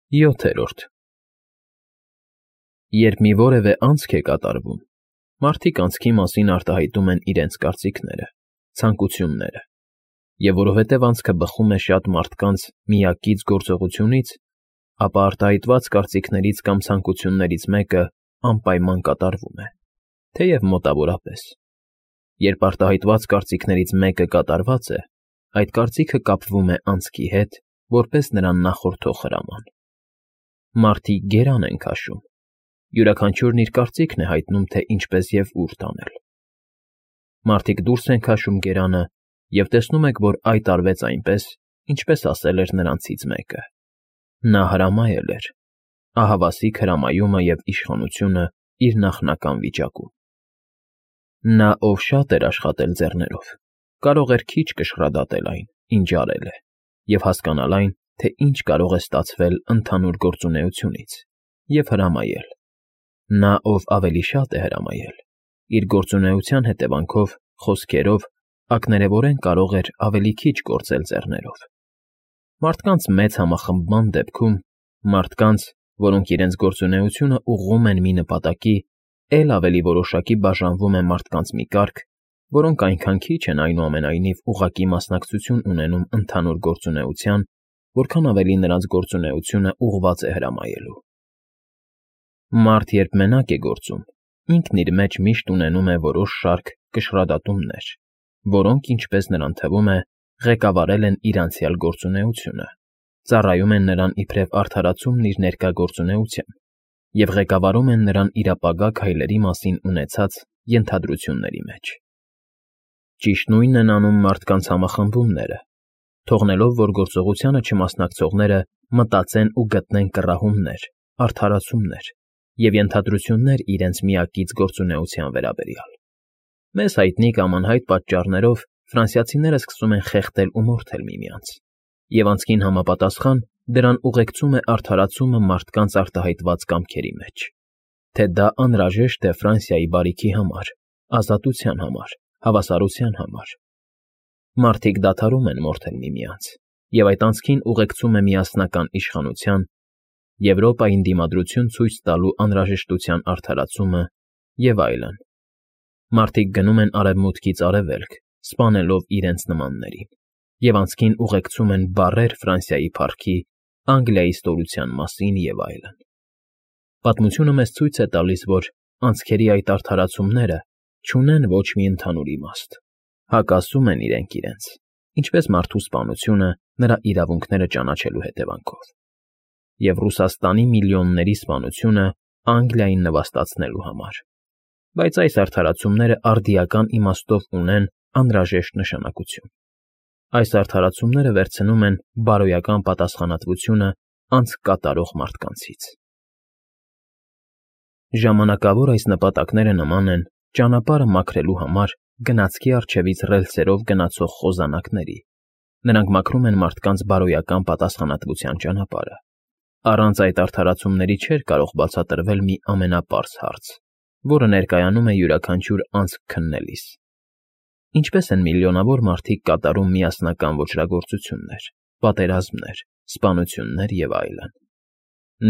7. Երբ մի որևէ անցք է կատարվում, մարդիկ անցքի մասին արտահայտում են իրենց կարծիքները, ցանկությունները, և որովհետև անցքը բխում է շատ մարդկանց միակից գործողությունից, ապա արտահայտված կարծիքներից կամ ցանկություններից մեկը անպայման կատարվում է, թեև մոտավորապես։ Երբ արտահայտված կարծիքներից մեկը կատարված է, այդ կարծիքը կապվում է անցքի հետ, որպես նրան նախորդող հրաման։ Մարդիկ գերան են քաշում, յուրաքանչյուրն իր կարծիքն է հայտնում, թե ինչպես և ուր տանել։ Մարդիկ դուրս են քաշում գերանը, և տեսնում եք, որ այդ արվեց այնպես, ինչպես ասել էր նրանցից մեկը։ Նա հրամայել էր, ահավասիկ հրամայումը և իշխանությունը իր նախնական վիճակում։ Նա, ով շատ էր աշխատել ձեռներով, կարող էր քիչ կշռադատել այն, ինչ արել է, և հասկանալ այն, թե ինչ կարող է ստացվել ընդհանուր գործունեությունից, և հրամայել։ Նա, ով ավելի շատ է հրամայել, իր գործունեության հետևանքով, խոսքերով, ակներևորեն կարող էր ավելի քիչ գործել ձեռներով։ Մարդկանց մեծ համախմբման դեպքում, մարդկանց, որոնք իրենց գործունեությունը ուղղում են մի նպատակի, էլ ավելի որոշակի բաժանվում է մարդկանց մի կարգ, որոնք այնքան քիչ են այնուամենայնիվ ուղղակի մասնակցություն ունենում ընդհանուր գործունեության, որքան ավելի նրանց գործունեությունը ուղղված է հրամայելու։ Մարդ, երբ մենակ է գործում, ինքն իր մեջ միշտ ունենում է որոշ շարք կշռադատումներ, որոնք, ինչպես նրան թվում է, ղեկավարել են իր անցյալ գործունեությունը, ծառայում են նրան իբրև արդարացումն իր ներկա գործունեության և ղեկավարում են նրան իր ապագա քայլերի մասին ունեցած ենթադրությունների մեջ։ Ճիշտ նույնն են անում մարդկանց համախմբումները, թողնելով, որ գործողությանը չմասնակցողները մտածեն ու գտնեն կռահումներ, արդարացումներ և ենթադրություններ իրենց միակից գործունեության վերաբերյալ։ Մեզ հայտնի կամ անհայտ պատճառներով ֆրանսիացիները սկսում են խեղդել ու մորթել միմյանց, և անցքին համապատասխան դրան ուղեկցում է արդարացումը մարդկանց արտահայտված կամքերի մեջ, թե դա անհրաժեշտ է Ֆրանսիայի բարիքի համար, ազատության համար, հավասարության համար։ Մարդիկ դադարում են մորթել միմյանց, և այդ անցքին ուղեկցում է միասնական իշխանության, Եվրոպային դիմադրություն ցույց տալու անհրաժեշտության արդարացումը և այլն։ Մարդիկ գնում են արևմուտքից արևելք, սպանելով իրենց նմաններին, և անցքին ուղեկցում են բառեր Ֆրանսիայի փառքի, Անգլիայի ստորության մասին և այլն։ Պատմությունը մեզ ցույց է տալիս, որ անցքերի այդ արդարացումները չունեն ոչ մի ընդհանուր իմաստ, հակասում են իրենք իրենց, ինչպես մարդու սպանությունը նրա իրավունքները ճանաչելու հետևանքով, և Ռուսաստանի միլիոնների սպանությունը Անգլիային նվաստացնելու համար։ Բայց այս արդարացումները արդիական իմաստով ունեն անհրաժեշտ նշանակություն։ Այս արդարացումները վերցնում են բարոյական պատասխանատվությունը անցք կատարող մարդկանցից։ Ժամանակավոր այս նպատակները նման են ճանապարհը մաքրելու համար գնացքի առջևից ռելսերով գնացող խոզանակների։ Նրանք մաքրում են մարդկանց բարոյական պատասխանատվության ճանապարհը։ Առանց այդ արդարացումների չէր կարող բացատրվել մի ամենապարզ հարց, որը ներկայանում է յուրաքանչյուր անցք քննելիս։ Ինչպես են միլիոնավոր մարդիկ կատարում միասնական ոճրագործություններ, պատերազմներ, սպանություններ և այլն։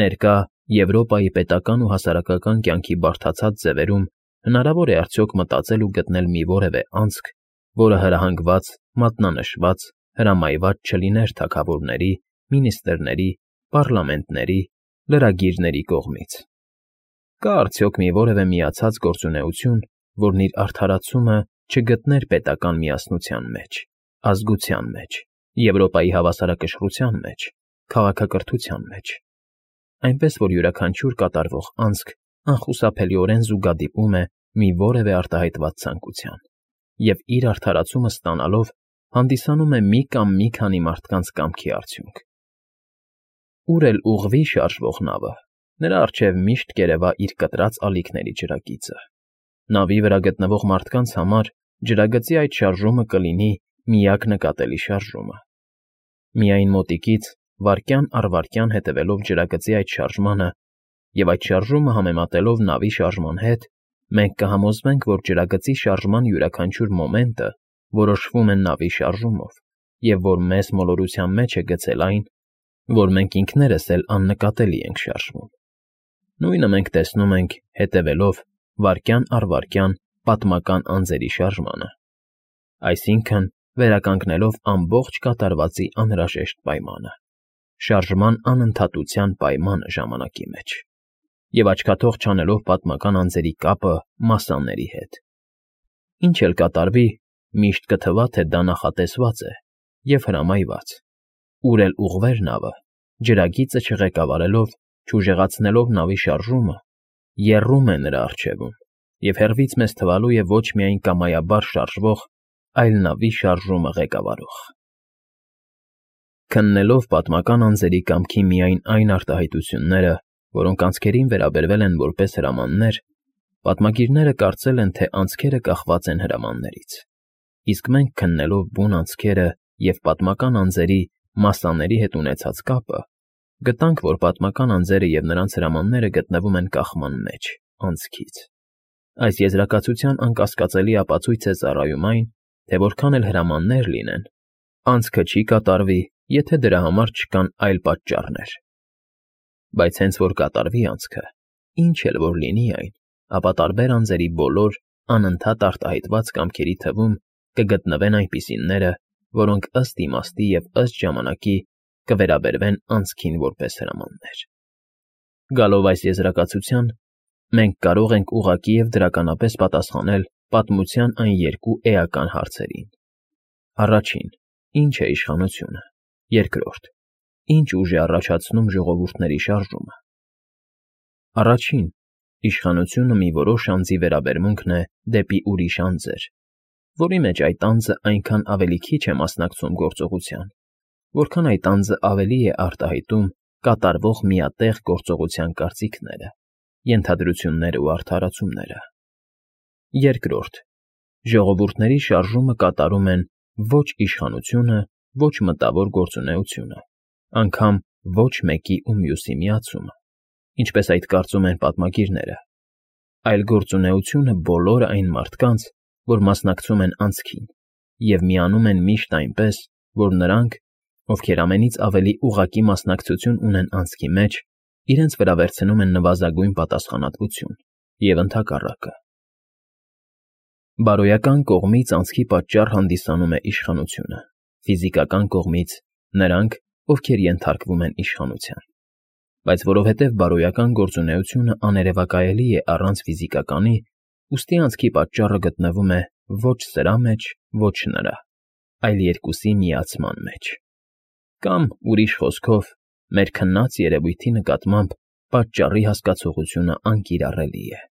Ներկա Եվրոպայի պետական ու հասարակական կյանքի բարդացած ձևերում հնարավոր է արդյոք մտածել ու գտնել մի որևէ անցք, որը հրահանգված, մատնանշված, հրամայված չլիներ թագավորների, մինիստրների, պառլամենտների, լրագիրների կողմից։ Կա արդյոք մի որևէ միացած գործունեություն, որն իր արդարացումը չգտներ պետական միասնության մեջ, ազգության մեջ, Եվրոպայի հավասարակշռության մեջ, քաղաքակրթության մեջ, այնպես որ յուրաքանչյուր կատարվող անցք անխուսափելիորեն զուգադիպում է մի որևէ արտահայտված ցանկության, և իր արդարացումը ստանալով հանդիսանում է մի կամ մի քանի մարդկանց կամքի արդյունք։ Ուր էլ ուղղվի շարժվող նավը, նրա առջև միշտ կերևա իր կտրած ալիքների ջրագիծը։ Նավի վրա գտնվող մարդկանց համար ջրագծի այդ շարժումը կլինի միակ նկատելի շարժումը։ Միայն մոտիկից, վայրկյան առ վայրկյան հետևելով ջրագծի այդ շարժմանը և այդ շարժումը համեմատելով նավի շարժման հետ, մենք կհամոզվենք, որ ջրագծի շարժման յուրաքանչյուր մոմենտը որոշվում է նավի շարժումով, և որ մեզ մոլորության մեջ է գցել այն, որ մենք ինքներս էլ աննկատելի ենք շարժվում։ Նույնը մենք տեսնում ենք, հետևելով վայրկյան առ վայրկյան պատմական անձերի շարժմանը, այսինքն վերականգնելով ամբողջ կատարվածի անհրաժեշտ պայմանը, շարժման անընդհատության պայմանը ժամանակի մեջ, և աչքաթող չանելով պատմական անձերի կապը մասսաների հետ։ Ինչ էլ կատարվի, միշտ կթվա, թե դա նախատեսված է և հրամայված, ուր էլ ուղղվեր նավը, ջրագիծը չղեկավարելով, չուժեղացնելով նավի շարժումը, եռում է նրա առջևում և հեռվից մեզ թվալու է ոչ միայն կամայաբար շարժվող, այլ նավի շարժումը ղեկավարող։ Քննելով պատմական անձերի կամքի միայն այն արտահայտությունները, որոնք անցքերին վերաբերվել են որպես հրամաններ, պատմագիրները կարծել են, թե անցքերը կախված են հրամաններից, իսկ մենք քննելով բուն անցքերը և պատմական անձերի մասսաների հետ ունեցած կապը, գտանք, որ պատմական անձերը և նրանց հրամանները գտնվում են կախման մեջ, անցքից։ Այս եզրակացության անկասկածելի ապացույց է ծառայում այն, թե որքան էլ հրամաններ լինեն, անցքը չի կատարվի, եթե դրա համար չկան այլ պատճառներ։ Բայց հենց որ կատարվի անցքը, ինչ էլ որ լինի այն, ապա տարբեր անձերի բոլոր անընդհատ արտահայտված կամքերի թվում կգտնվեն այնպիսիները, որոնք ըստ իմաստի և ըստ ժամանակի կվերաբերվեն անցքին որպես հրամաններ։ Գալով այս եզրակացության, մենք կարող ենք ուղղակի և դրականապես պատասխանել պատմության այն երկու էական հարցերին. Առաջին. Ինչ է իշխանությունը։ Երկրորդ. Ինչ ուժ է առաջացնում ժողովուրդների շարժումը։ Առաջին. Իշխանությունը մի որոշ անձի վերաբերմունքն է դեպի ուրիշ անձեր, որի մեջ այդ անձը այնքան ավելի քիչ է մասնակցում գործողության, որքան այդ անձը ավելի է արտահայտում կատարվող միատեղ գործողության կարծիքները, ենթադրություններն ու արդարացումները։ Երկրորդ. Ժողովուրդների շարժումը կատարում են ոչ իշխանությունը, ոչ մտավոր գործունեությունը, անգամ ոչ մեկի ու մյուսի միացումը, ինչպես այդ կարծում են պատմագիրները, այլ գործունեությունը բոլոր այն մարդկանց, որ մասնակցում են անցքին, և միանում են միշտ այնպես, որ նրանք, ովքեր ամենից ավելի ուղղակի մասնակցություն ունեն անցքի մեջ, իրենց վրա վերցնում են նվազագույն պատասխանատվություն և ընդհակառակը։ Բարոյական կողմից անցքի պատճառ հանդիսանում է իշխանությունը, ֆիզիկական կողմից՝ նրանք, ովքեր ենթարկվում են իշխանության։ Բայց որովհետև բարոյական գործունեությունը աներևակայելի է առանց ֆիզիկականի, ուստի անցքի պատճառը գտնվում է ոչ սրա մեջ, ոչ նրա, այլ երկուսի միացման մեջ։ Կամ, ուրիշ խոսքով, մեր քննած երևույթի նկատմամբ պատճառի հասկացողությունը անկիրառելի է։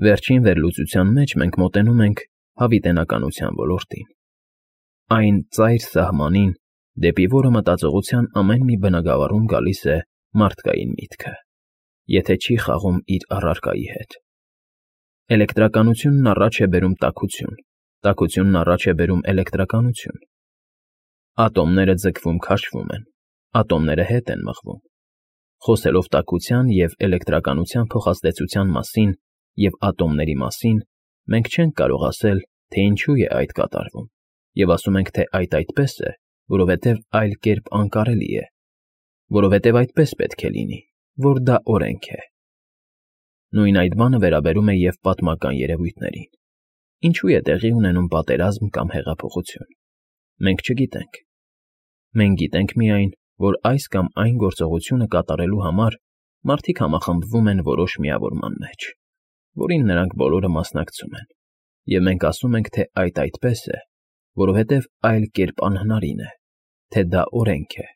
Վերջին վերլուծության մեջ մենք մոտենում ենք հավիտենականության ոլորտին, այն ծայր սահմանին, դեպի որը մտածողության ամեն մի բնագավառում գալիս է մարդկային միտքը, եթե չի խաղում իր առարկայի հետ։ Էլեկտրականությունն առաջ է բերում տաքություն, տաքությունն առաջ է բերում էլեկտրականություն։ Ատոմները ձգվում-քաշվում են, ատոմները հետ են մղվում։ Խոսելով տաքության և էլեկտրականության փոխազդեցության մասին և ատոմների մասին, մենք չենք կարող ասել, թե ինչու է այդ կատարվում, և ասում ենք, թե այդ այդպես է, որովհետև այլ կերպ անկարելի է, որովհետև այդպես պետք է լինի, որ դա օրենք է։ Նույն այդ բանը վերաբերում է և պատմական երևույթներին։ Ինչու է տեղի ունենում պատերազմ կամ հեղափոխություն։ Մենք չգիտենք։ Մենք գիտենք միայն, որ այս կամ այն գործողությունը կատարելու համար մարդիկ համախմբվում են որոշ միավորման մեջ, որին նրանք բոլորը մասնակցում են, և մենք ասում ենք, թե այդ այդպես է, որովհետև այլ կերպ անհնարին է, թե դա օրենք է։